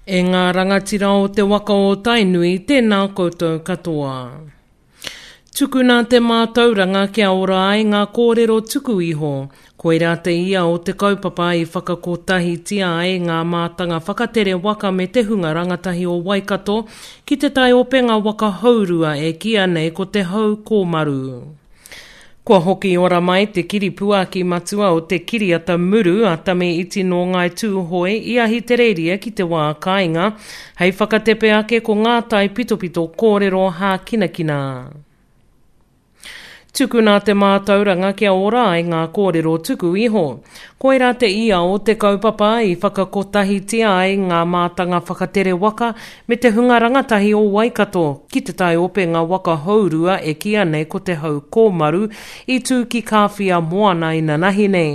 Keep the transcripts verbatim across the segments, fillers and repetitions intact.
E ngā rangatira o te waka o Tainui, tēnā koutou katoa. Tukuna te mātauranga kia ora ai ngā kōrero tuku iho. Koirā te ia o te kaupapa i whakakotahitia ai ngā mātanga whakatere waka me te hunga rangatahi o Waikato ki te taiopenga waka hourua e kīia nei ko te Hau Kōmaru. Kua hoki ora mai te kiripuaki matua o te kiriata muru a Tame Iti nō Ngāi Tūhoe i Ahitereiria ki te wā kāinga, hei whakatepe ake ko ngā taipitopito kōrero hākinakina. Tukuna te mātauranga kia ora ai ngā kōrero tuku iho. Koirā te ia o te kaupapa i whakakotahitia ai ngā mātanga whakatere waka me te hunga rangatahi o Waikato ki te taiopenga waka hourua e kīia nei ko Te Hau Kōmaru i tū ki Kāwhia Moana inanahi nei.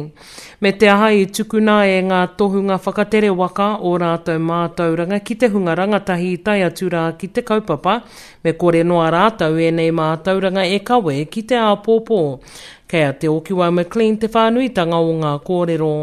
Me te aha i tukuna e ngā tohunga whakatere waka ō rātou mātauranga ki te hunga rangatahi i tae atu rā ki te kaupapa, me kore noa rātou ēnei mātauranga e kawe ki te āpōpō. Kei a Te Okiwa McLean te whānuitanga o ngā kōrero.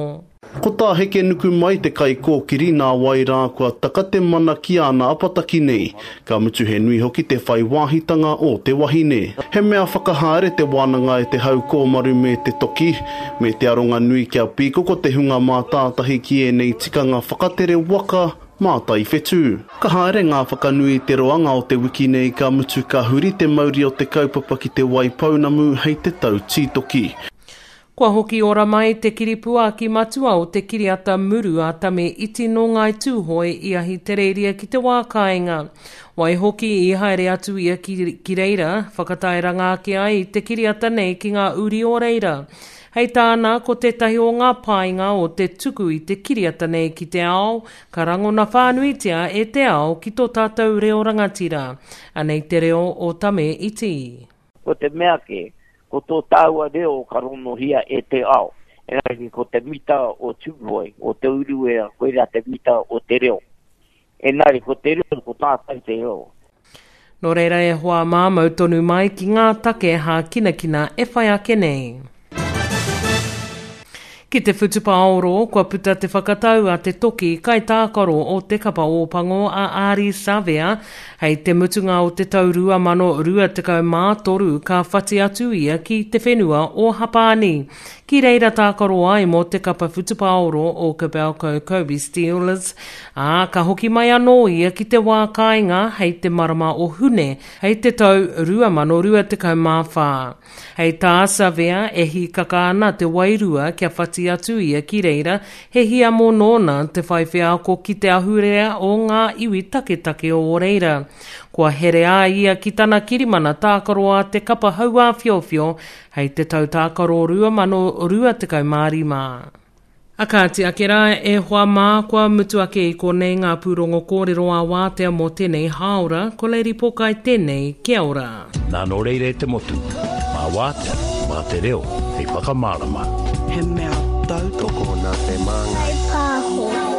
Ko tā Hekenukumai te kaikōkiri nā wai rā kua taka te mana ki āna apataki nei, ka mutu he nui hoki te whai wāhitanga o te wahine. He mea whakahaere te wānanga e te hau kōmaru me te toki, me te aronga nui kia pīkoko te hunga mātātahi ki ēnei tikanga whakatere waka mātai whetū. Ka haere ngā whakanui i te roanga o te wiki nei ka mutu ka huri te mauri o te kaupapa ki Te Waipounamu hei te tau tītoki. Kua hoki ora mai te kiripuaki matua o te kiriata muru a Tame Iti nō Ngāi Tūhoe i Ahitereiria ki te wā kāinga. Waihoki i haere atu ia ki, ki reira, whakatairanga ake ai i te kiriata nei ki ngā uri o reira. Hei tāna, ko tētahi o ngā painga o te tuku i te kiriata nei ki te ao, ka rangona whānuitia e te ao ki tō tātou reo rangatira. Anei te reo o Tame Iti. Ko te mea kē, ko tō tāua reo ka ronohia e te ao. Engari ko te mita o Tūhoe, o Te Uruwera, koirā te mita o te reo. Engari ko te reo, ko tātou te reo. Nō reira e hoa mā, mau tonu mai ki ngā take hākinakina e whai ake nei. Ki te whutupaoro, kua puta te whakatau a te toki kaitākaro o te kapa Ōpango a Ardie Savea, hei te mutunga o te tau rua mano rua tekau mā toru ka whati atu ia ki te whenua o Hapāni, ki reira tākaro ai mō te kapa whutupaoro o Kobelco Kobe Steelers, ā, ka hoki mai anō ia ki te wā kāinga hei te marama o Hune hei te tau rua mano rua tekau mā whā. Hei tā Savea, e hīkaka ana te wairua kia whati atu ia ki reira, he hiamo nōna te whai wheako ki te ahurea o ngā iwi taketake o reira. Kua herea ia ki tana kirimana tākaro a te kapa hauāwhiowhio hei te tau tākaro rua mano rua tekau mā rima. A kāti ake rā, e hoa mā, kua mutu ake i konei ngā pūrongo kōrero ā-wātea mō tēnei hāora, ko Lady Pokai tēnei, kia ora. Nā nō reira e te motu, mā wātea, mā te reo hei whakamārama. He mea tautoko. Tokona te māngai. Whaipāho.